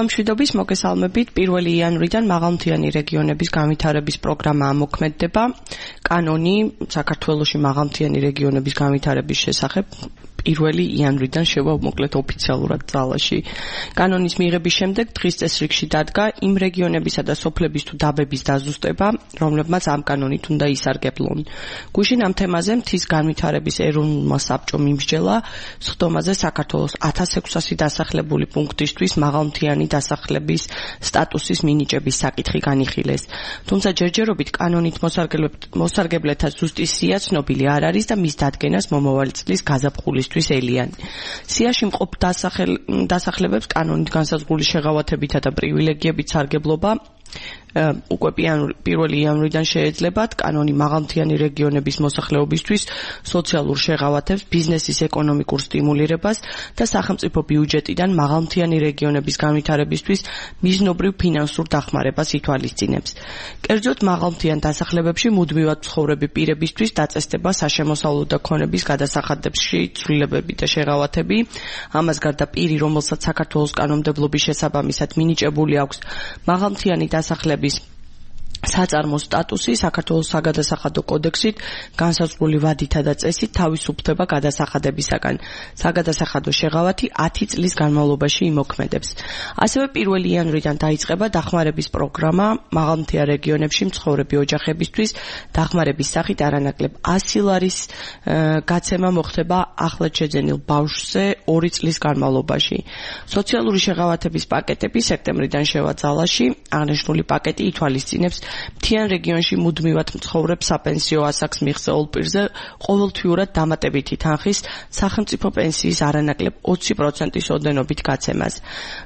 მშვიდობის მოგესალმებით. 1 იანვრიდან მაღალმთიანი რეგიონების განვითარების პროგრამა მოქმედება. კანონი საქართველოში მაღალმთიანი რეგიონების განვითარების შესახებ 1 იანვრიდან შევა მოკლედ ოფიციალურად ძალაში. კანონის მიღების შემდეგ დღის წესრიგში დადგა იმ რეგიონებისა და სოფლების თუ დაბების დაზუსტება, რომლებმაც ამ კანონით უნდა ისარგებლონ. გუშინ ამ თემაზე მთის განვითარების ეროვნულმა საბჭომ იმსჯელა სხდომაზე საქართველოს 1600 დასახლებული პუნქტისთვის მაღალმთიანი დასახლების სტატუსის მინიჭების საკითხი განიხილეს. თუმცა ჯერჯერობით კანონით მოსარგებლეთა ზუსტი სია ცნობილი არ არის და მის დადგენას მომავალი წლის გაზაფხულისთვის ელიან. სიაში მყოფ დასახლებებს კანონით განსაზღვრული შეღავათებითა და პრივილეგიებით სარგებლობა უკვე 1 იანვრიდან შეეძლებათ. კანონი მაღალმთიანი რეგიონების მოსახლეობისთვის სოციალურ შეღავათებს, ბიზნესის ეკონომიკურ სტიმულირებას და სახელმწიფო ბიუჯეტიდან მაღალმთიანი რეგიონების განვითარებისთვის მიზნობრივ ფინანსურ დახმარებას ითვალისწინებს. კერძოდ მაღალმთიან დასახლებებში მუდმივად მცხოვრები პირებისთვის დაწესდება საშემოსავლო და ქონების გადასახადებში ცვლილებები და შეღავათები. ამას გარდა პირი, რომელსაც საქართველოს კანონმდებლობის შესაბამისად მინიჭებული აქვს მაღალმთიანი დასახლების საწარმო სტატუსი, საქართველოს საგადასახადო კოდექსით განსაზღვრული ვადითა და წესით თავისუფლდება გადასახადებისაგან. საგადასახადო შეღავათი 10 წლის განმავლობაში იმოქმედებს. ასევე 1 იანვრიდან დაიწყება დახმარების პროგრამა მაღალმთიან რეგიონებში მცხოვრები ოჯახებისთვის. დახმარების სახით არანაკლებ 100 ლარის გაცემა მოხდება ახლად შეძენილ ბავშვზე 2 წლის განმავლობაში. სოციალური შეღავათების პაკეტები სექტემბრიდან შევა ძალაში. აღნიშნული პაკეტი ითვალისწინებს მთიან რეგიონში მუდმივად მცხოვრებ საპენსიო ასაკს მიღწეულ პირზე ყოველთვიურად დამატებითი თანხის სახელმწიფო პენსიის არანაკლებ 20%-ის ოდენობით გაცემას.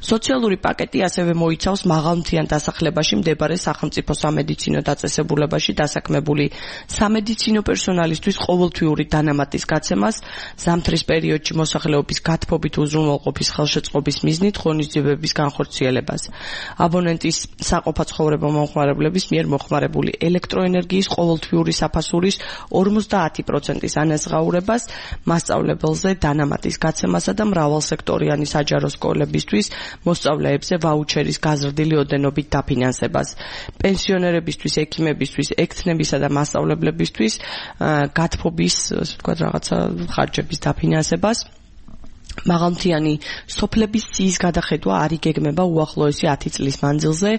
სოციალური პაკეტი ასევე მოიცავს მაღალმთიან დასახლებაში მდებარე სახელმწიფო სამედიცინო დაწესებულებაში დასაქმებული სამედიცინო პერსონალისთვის ყოველთვიური დანამატის გაცემას, ზამთრის პერიოდში მოსახლეობის გათბობით უზრუნველყოფის ხელშეწყობის მიზნით ღონისძიებების განხორციელებას. აბონენტის საყოფა ცხოვრება მომხმარებლების მიერ მოხმარებული ელექტროენერგიის ყოველთვიური საფასურის 50%-ის ანაზღაურებას, მასწავლებელზე დანამატის გაცემასა და მრავალსექტორიანი საჯარო სკოლებისთვის მოსწავლეებზე ვაუჩერის გაზრდილი ოდენობით დაფინანსებას. პენსიონერებისთვის, ექიმებისთვის, ექთნებისა და მასწავლებლებისთვის გათბობის, რაღაცა ხარჯების დაფინანსებას. მაღალმთიანი სოფლების სიის გადახედვა არ იგეგმება უახლოესი 10 წლის მანძილზე.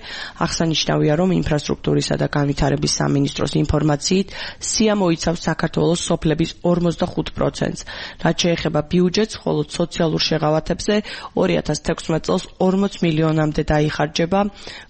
აღსანიშნავია, რომ ინფრასტრუქტურისა და განვითარების სამინისტროს ინფორმაციით სია მოიცავს საქართველოს სოფლების 45%-ს. რაც შეეხება ბიუჯეტს, ხოლო სოციალურ შეღავათებზე 2016 წელს 40 მილიონამდე დაიხარჯება,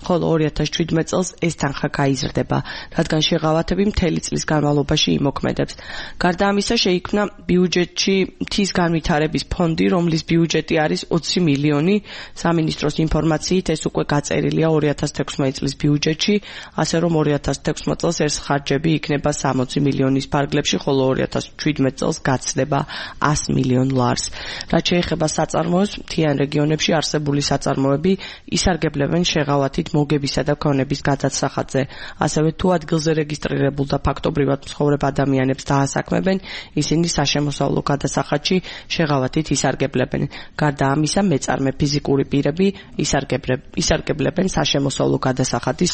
ხოლო 2017 წელს ეს თანხა გაიზრდება, რადგან შეღავათები მთელი წლის განმავლობაში იმოქმედებს. გარდა ამისა, შეიქმნა ბიუჯეტში მთის განვითარების ფონდი, რომლის ბიუჯეტი არის 20 მილიონი. სამინისტროს ინფორმაციით ეს უკვე გაწერილია 2016 წლის ბიუჯეტში, ასე რომ 2016 წელს ეს ხარჯები იქნება 60 მილიონის ფარგლებში, ხოლო 2017 წელს გაცდება 100 მილიონ ლარს. რაც შეეხება საწარმოებს, მთიან რეგიონებში არსებული საწარმოები ისარგებლებენ შეღავათით მოგებისა და ქონების გადასახადზე. ასევე თუ ადგილზე რეგისტრირებულ და ფაქტობრივად მცხოვრებ ადამიანებს დაასაქმებენ, ისინი საშემოსავლო გადასახადში შეღავათით ისარგებლებენ. გარდა ამისა, მეწარმე ფიზიკური პირები ისარგებლებენ საშემოსავლო გადასახადის